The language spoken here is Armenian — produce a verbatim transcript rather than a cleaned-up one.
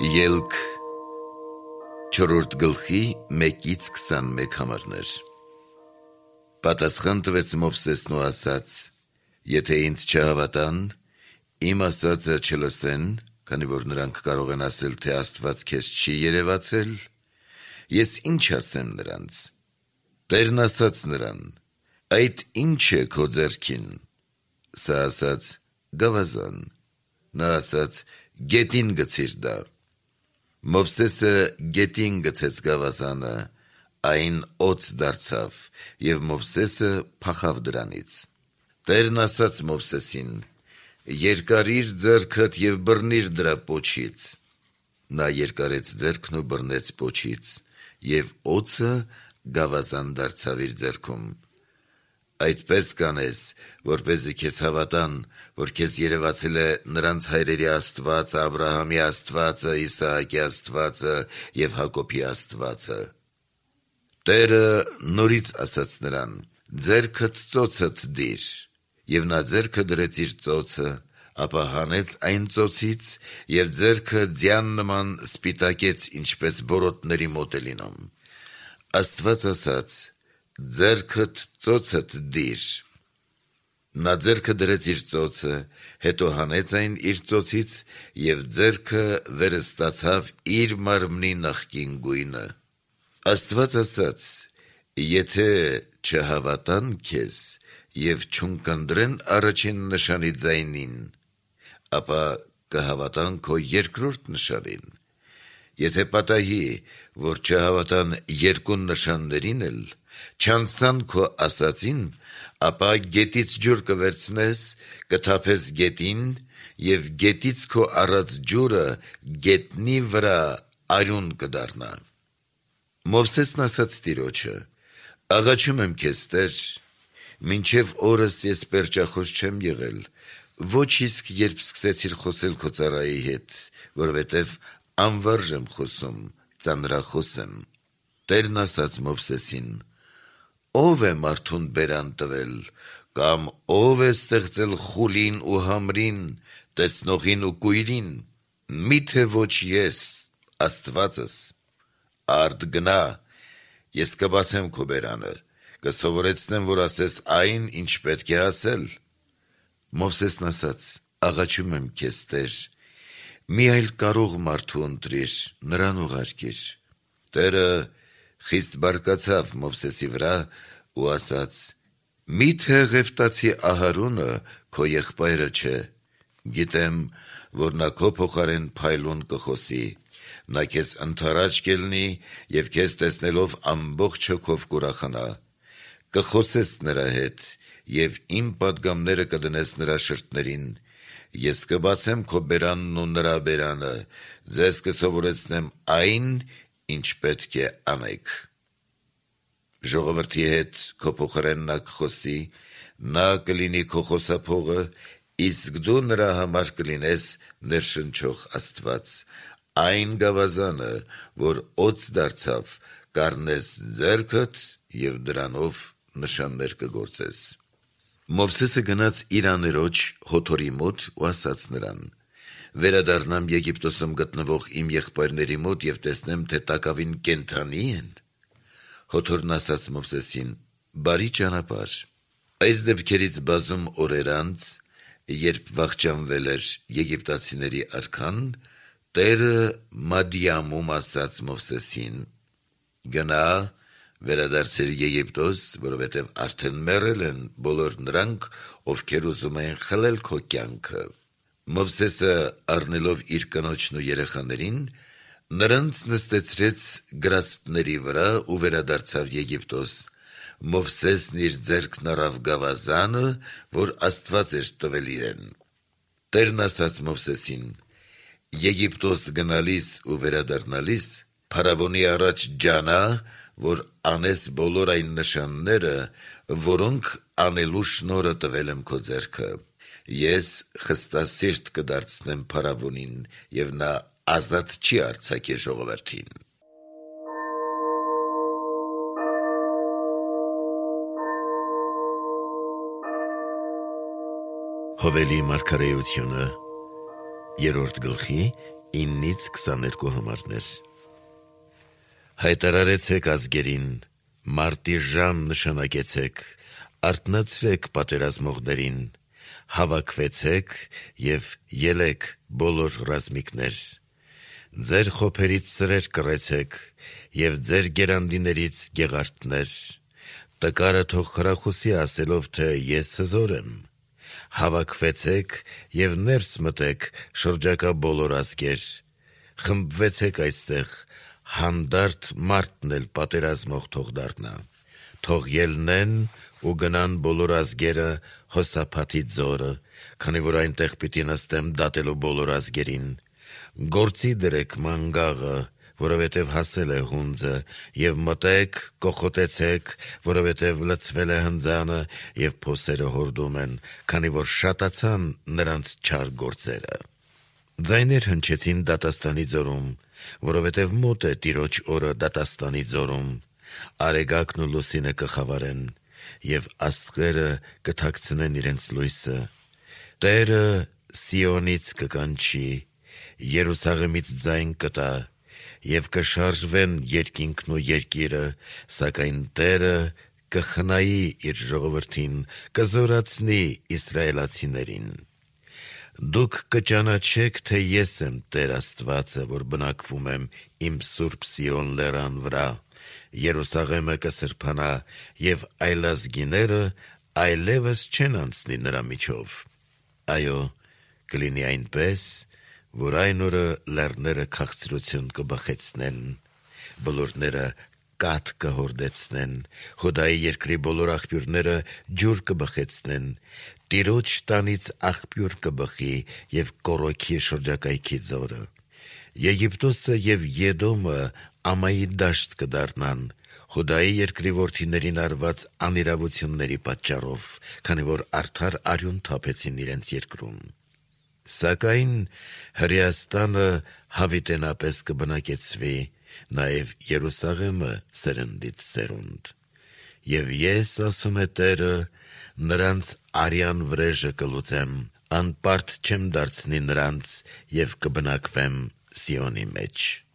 Ելք չորրորդ գլխի մեկից քսանմեկ համարներ Պատասխան տվեց Մովսեսն ու ասաց. Եթե ինձ չհավատան, իմ ասածը չլսեն, քանի որ նրանք կարող են ասել, թե Աստված քեզ չի երևացել, ես ինչ ասեմ նրանց։ Տերն ասաց նրան. Այդ ինչ է քո ձեռքին։ Սա ասաց. գավազան։ Նա ասաց. գետին գցիր դա։ Մովսեսը գետին գցեց գավազանը, այն օձ դարձավ, և Մովսեսը փախավ դրանից։ Տերն ասաց Մովսեսին. երկարիր ձեռքդ և բռնիր դրա պոչից։ Նա երկարեց ձեռքն ու բռնեց պոչից, և օձը գավազան դարձավ իր ձեռքում։ Այդպես կանես, որպեսզի քեզ հավատան, որ քեզ երևացել է նրանց հայրերի Աստվածը, Աբրահամի Աստվածը, Իսահակի Աստվածը և Հակոբի Աստվածը։ Տերը նորից ասաց նրան. ձեռքդ ծոցդ դիր, և նա ձեռքը դրեց իր ծոցը, ապա հանեց այն ծոցից և ձեռքը ձյան նման սպիտակեց, ինչպես բորոտների մոտ է լինում։ Աստված ասաց. ձեռքդ ծոցդ դիր։ Նա ձեռքը դրեց իր ծոցը, հետո հանեց այն իր ծոցից և ձեռքը վերը ստացավ իր մարմնի նախկին գույնը։ Աստված ասաց. եթե չհավատան քեզ և չունկնդրեն առաջին նշանի ձայնին, ապա կհավատան քո երկրորդ նշանին։ Եթե պատահի, որ չհավատան երկու նշաններին էլ, չանցան քո ասածին, ապա գետից ջուր կվերցնես, կթափես գետին, և գետից քո առած ջուրը գետնի վրա արյուն կդառնա։ Մովսեսն ասաց Տիրոջը. աղաչում եմ քեզ, Տեր, մինչև օրս ես պերճախոս չեմ եղել, ոչ իսկ երբ սկսեցիր խոսել քո ծառայի հետ, որովհետև անվարժ եմ խոսում, ծանրախոս եմ։ Տերն ասաց Մովսեսին. ով է մարդուն բերան տվել, կամ ով է ստեղծել խուլին ու համրին, տեսնողին ու կույրին, միթե ոչ ես, Աստվածս։ Արդ գնա, ես կբացեմ քո բերանը, կսովորեցնեմ, որ ասես այն, ինչ պետք է ասել։ Մովսեսն ասաց. աղաչում եմ քեզ, Տեր, մի այլ կարող մարդու ընտրիր, նրան ուղարկիր։ Տերը խիստ բարկացավ Մովսեսի վրա ու ասաց. միթե Ղևտացի Ահարոնը քո եղբայրը չէ։ Գիտեմ, որ նա քո փոխարեն փայլուն կխոսի, նա քեզ ընդառաջ կելնի և քեզ տեսնելով ամբողջ հոգով կուրախանա։ Կխոսես նրա հետ և իմ պատգամները կդնես նրա շրթներին, ես կբացեմ քո բերանն ու նրա բերանը, ձեզ կսովորեցնեմ այն, ինչ պետք է անեք։ Ժողովրդի հետ քո փոխարեն նա կխոսի, նա կլինի քո խոսափողը, իսկ դու նրա համար կլինես ներշնչող Աստված։ Այն գավազանը, որ օձ դարձավ, կառնես ձեռքդ և դրանով նշաններ կգործես։ Մովսեսը գնաց իր աներոջ Հոթորի մոտ ու ասաց նրան. վերադառնամ Եգիպտոսում գտնվող իմ եղբայրների մոտ և տեսնեմ, թե տակավին կենդանի են։ Հոթորն ասաց Մովսեսին. բարի ճանապարհ։ Այս դեպքերից բազում օրեր անց, երբ վախճանվել էր եգիպտացիների արքան, Տերը Մադիամում ասաց Մովսեսին. գնա, վերադարձիր Եգիպտոս, որովհետև արդեն մեռել են բոլոր նրանք, ովքեր ուզում են խլել քո կյանքը։ Մովսեսը առնելով իր կնոջն ու երեխաներին, նրանց նստեցրեց գրաստների վրա ու վերադարձավ Եգիպտոս։ Մովսեսն իր ձեռքն առավ գավազանը, որ Աստված էր տվել իրեն։ Տերն ասաց Մովսեսին. Եգիպտոս գնալիս ու վերադառնալիս փարավոնի առաջ ջանա, որ անես բոլոր այն նշանները, որոնք անելու շնորհը տվել եմ քո ձեռքը։ Ես խստասիրտ կդարձնեմ փարավոնին, և նա ազատ չի արձակի ժողովրդին։ Հովելի մարգարեությունը երրորդ գլխի իննից քսաներկու համարներ։ Հայտարարեցեք ազգերին, մարտի ժամ նշանակեցեք, արթնացրեք պատերազմողներին, հավաքվեցեք և ելեք բոլոր ռազմիկներ, ձեր խոփերից սրեր կռեցեք և ձեր գերանդիներից գեղարդներ, տկարը թող խրախուսի ասելով, թե ես հզոր եմ, հավաքվեցեք և ներս մտեք շրջակա բոլոր ազգեր, խմբվեցեք այստեղ, հանդարտ մարդն էլ պատերազմող թող դառնա, թող ելնեն ու գնան բոլոր ազգերը Հոսափաթի ձորը, քանի որ այնտեղ պիտի նստեմ դատելու բոլոր ազգերին, գործի դրեք մանգաղը, որովհետև հասել է հունձը, և մտեք, կոխոտեցեք, որովհետև լցվել է հնձանը և փոսերը հորդում են, քանի որ շատացան նրանց չար գործերը։ Ձայներ հնչեցին դատաստանի ձորում, որովհետև մոտ է Տիրոջ օրը դատաստանի ձորում, արեգակն ու լուսինը կխավարեն, և աստղերը կթաքցնեն իրենց լույսը, Տերը Սիոնից կկանչի, Երուսաղեմից ձայն կտա, և կշարժվեն երկինքն ու երկիրը, սակայն Տերը կխնայի իր ժողովրդին, կզորացնի իսրայելացիներին։ Դուք կճանաչեք, թե ես եմ Տեր Աստվածը, որ բնակվում եմ իմ սուրբ Սիոն լեռան վրա, Երուսաղեմը կսրբանա, և այլազգիները այլևս չեն անցնի նրա միջով։ Այո, կլինի այնպես, որ այն օրը լեռները քաղցրություն կբխեցնեն, բլուրները կաթ կհորդեցնեն, Հոդայի երկրի բոլոր աղբյուրները ջուր կբխեցնեն, Տիրոջ տանից աղբյուր կբխի և կոռոքի շրջակայքի ձորը։ Եգիպտոսը և Եդոմը ամայի դաշտ կդառնան, Հոդայի երկրի որդիներին արված անիրավությունների պատճառով, քանի որ արդար արյուն թափեցին իրենց երկրում։ Սակայն Հրեաստանը հավիտենապես կբնակեցվի, նաև Երուսաղեմը սերնդից սերունդ։ Եվ ես, ասում է Տերը, նրանց արյան վրեժը կլուծեմ, անպարտ չեմ դարձնի նրանց և կբնակվեմ Սիոնի մեջ։